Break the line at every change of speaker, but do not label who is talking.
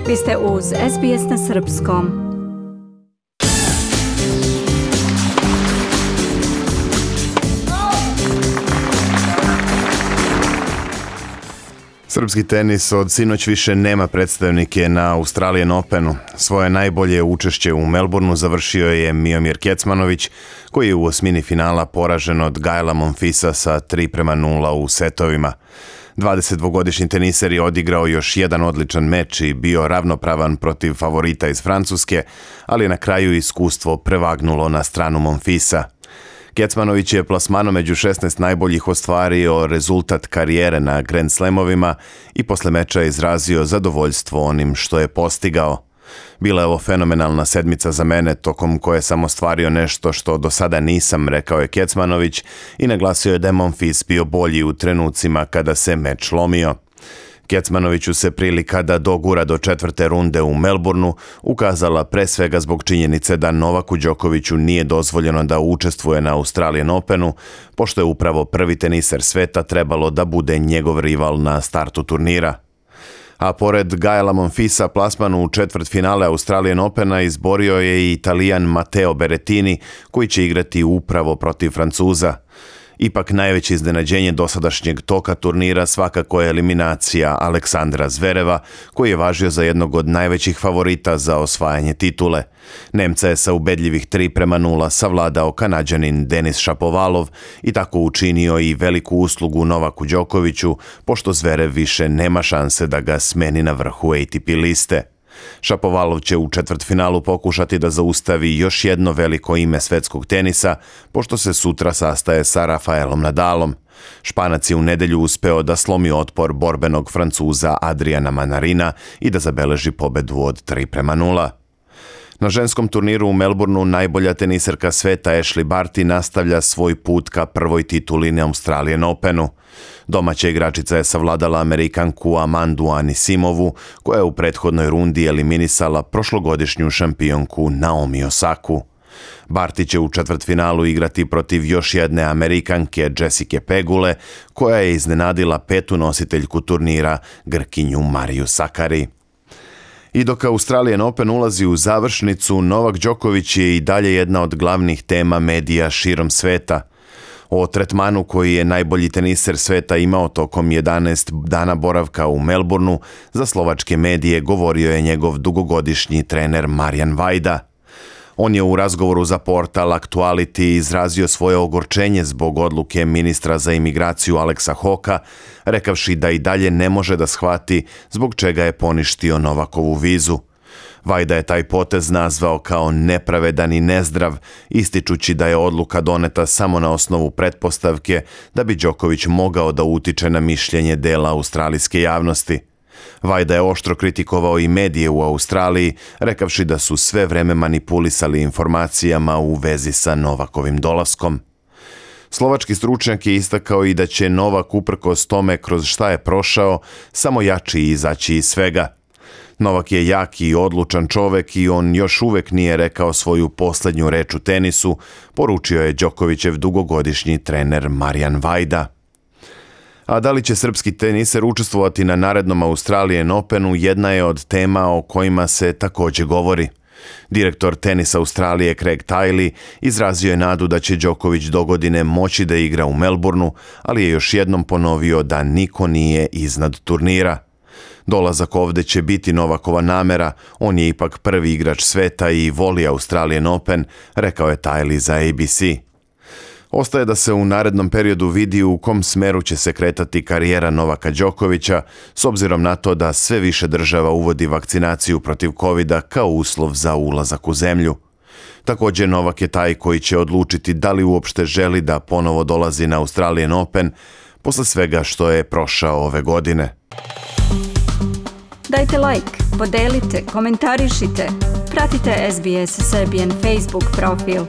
Vi ste uz SBS na srpskom.
Srpski tenis od sinoć više nema predstavnike na Australian Openu. Svoje najbolje učešće u Melbourneu završio je Miomir Kecmanović, koji je u osmini finala poražen od Gaela Monfilsa sa 3:0 u setovima. 22-godišnji teniser je odigrao još jedan odličan meč i bio ravnopravan protiv favorita iz Francuske, ali na kraju iskustvo prevagnulo na stranu Monfilsa. Kecmanović je plasmanom među 16 najboljih ostvario rezultat karijere na Grand Slamovima i posle meča izrazio zadovoljstvo onim što je postigao. Bila je ovo fenomenalna sedmica za mene, tokom koje sam ostvario nešto što do sada nisam, rekao je Kecmanović i naglasio je da je Monfils bio bolji u trenucima kada se meč lomio. Kecmanoviću se prilika da dogura do četvrte runde u Melbourneu ukazala pre svega zbog činjenice da Novaku Đokoviću nije dozvoljeno da učestvuje na Australian Openu, pošto je upravo prvi teniser sveta trebalo da bude njegov rival na startu turnira. A pored Gaela Monfilsa plasman u četvrtfinale Australian Opena izborio je i Italijan Matteo Berrettini, koji će igrati upravo protiv Francuza. Ipak najveće iznenađenje dosadašnjeg toka turnira svakako je eliminacija Aleksandra Zvereva, koji je važio za jednog od najvećih favorita za osvajanje titule. Nemca je sa ubedljivih 3:0 savladao Kanađanin Denis Šapovalov i tako učinio i veliku uslugu Novaku Đokoviću, pošto Zverev više nema šanse da ga smeni na vrhu ATP liste. Šapovalov će u četvrtfinalu pokušati da zaustavi još jedno veliko ime svetskog tenisa, pošto se sutra sastaje sa Rafaelom Nadalom. Španac je u nedelju uspeo da slomi otpor borbenog Francuza Adriana Manarina i da zabeleži pobedu od 3:0. Na ženskom turniru u Melbourneu najbolja teniserka sveta Ashleigh Barty nastavlja svoj put ka prvoj tituli na Australian Openu. Domaća igračica je savladala Amerikanku Amandu Anisimovu, koja je u prethodnoj rundi eliminisala prošlogodišnju šampionku Naomi Osaku. Barty će u četvrtfinalu igrati protiv još jedne Amerikanke Jessica Pegule, koja je iznenadila petu nositeljku turnira, Grkinju Mariju Sakari. I dok Australian Open ulazi u završnicu, Novak Đoković je i dalje jedna od glavnih tema medija širom sveta. O tretmanu koji je najbolji teniser sveta imao tokom 11 dana boravka u Melbourneu za slovačke medije govorio je njegov dugogodišnji trener Marijan Vajda. On je u razgovoru za portal Aktuality izrazio svoje ogorčenje zbog odluke ministra za imigraciju Aleksa Hoka, rekavši da i dalje ne može da shvati zbog čega je poništio Novakovu vizu. Vajda je taj potez nazvao kao nepravedan i nezdrav, ističući da je odluka doneta samo na osnovu pretpostavke da bi Đoković mogao da utiče na mišljenje dela australijske javnosti. Vajda je oštro kritikovao i medije u Australiji, rekavši da su sve vreme manipulisali informacijama u vezi sa Novakovim dolaskom. Slovački stručnjak je istakao i da će Novak uprkos tome kroz šta je prošao samo jači izaći iz svega. Novak je jak i odlučan čovek i on još uvek nije rekao svoju posljednju reč u tenisu, poručio je Đokovićev dugogodišnji trener Marijan Vajda. A da li će srpski teniser učestvovati na narednom Australian Openu jedna je od tema o kojima se također govori. Direktor tenisa Australije Craig Tiley izrazio je nadu da će Đoković dogodine moći da igra u Melbourneu, ali je još jednom ponovio da niko nije iznad turnira. Dolazak ovde će biti Novakova namera, on je ipak prvi igrač sveta i voli Australian Open, rekao je Tiley za ABC. Ostaje da se u narednom periodu vidi u kom smeru će se kretati karijera Novaka Đokovića, s obzirom na to da sve više država uvodi vakcinaciju protiv covida kao uslov za ulazak u zemlju. Također Novak je taj koji će odlučiti da li uopšte želi da ponovo dolazi na Australian Open posle svega što je prošao ove godine.
Dajte like, podelite, komentarišite, pratite SBS Serbian Facebook profil.